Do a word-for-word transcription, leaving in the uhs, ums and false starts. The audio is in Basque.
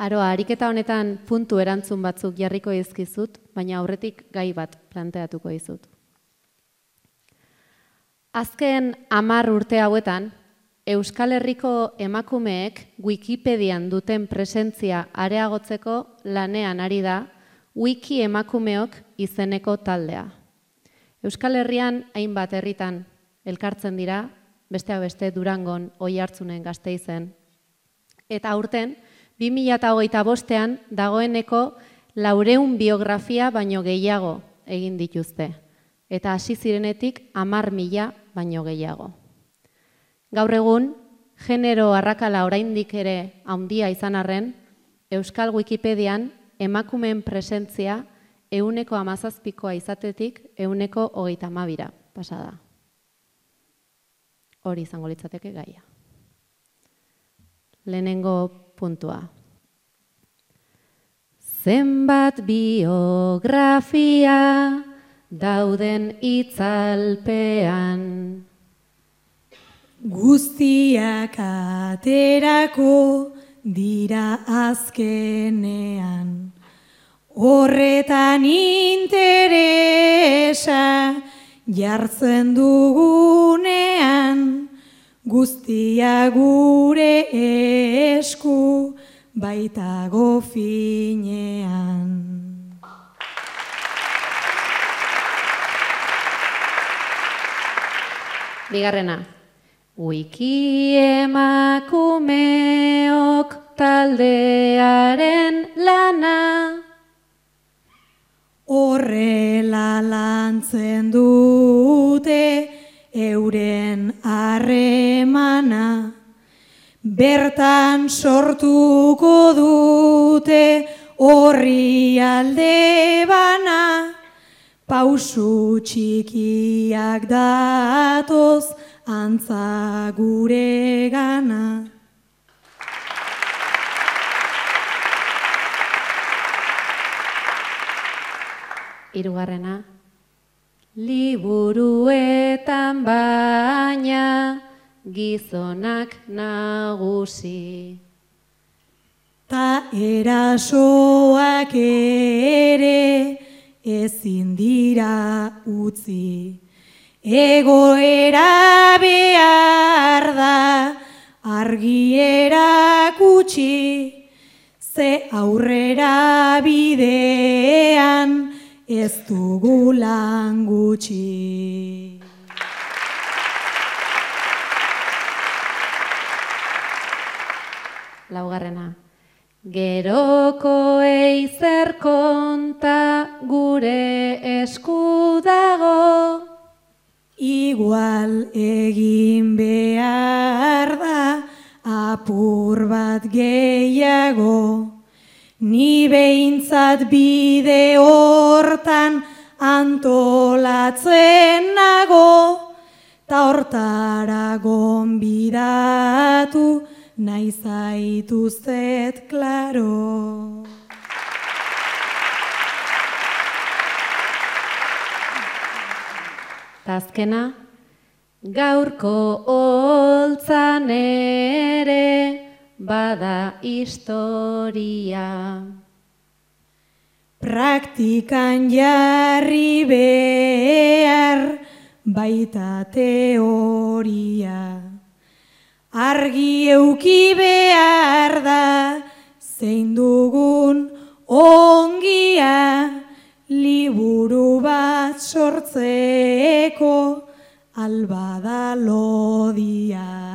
Aroa, ariketa honetan puntu erantzun batzuk jarriko dizkizut, baina aurretik gai bat planteatuko dizut. Azken hamar urte hauetan, Euskal Herriko emakumeek Wikipedian duten presentzia areagotzeko lanean ari da Wiki emakumeok izeneko taldea. Euskal Herrian hainbat herritan elkartzen dira, besteak beste Durangon, Oiartzunen, Gasteizen. Eta aurten, bi mila hogeita bostean dagoeneko laurehun biografia baino gehiago egin dituzte. Eta hasi zirenetik hamar mila baino gehiago. Gaur egun, genero arrakala oraindik ere handia izan arren, Euskal Wikipedian emakumeen presentzia ehuneko hamazazpikoa izatetik ehuneko hogeita hamabira pasada. Hori izango litzateke gaia. Lehenengo puntua. Zenbat biografia dauden itzalpean. Guztiak aterako dira azkenean. Horretan interesa jartzen dugunean. Guztia gure esku baitago finean. Bigarrena. Wiki emakumeok taldearen lana. Horrela lantzen dute euren harremana, bertan sortuko dute horri alde bana, pausu txikiak datoz antza gure gana. Hirugarrena. Liburuetan baina gizonak nagusi. Ta erasoak ere ezin dira utzi. Egoera behar da argi erakutsi, ze aurrera bidean ez dugu lan gutxi. Laugarrena. Gerokoei zer konta gure esku dago. Igual egin behar da apur bat gehiago. Ni behintzat bide hortan antolatzen nago, ta hortara gonbidatu nahi zaituztet klaro. Ta azkena, gaurko holtzan ere bada historia. Praktikan jarri behar baita teoria. Argi euki behar da zein dugun ongia, liburu bat sortzeko albada lodia.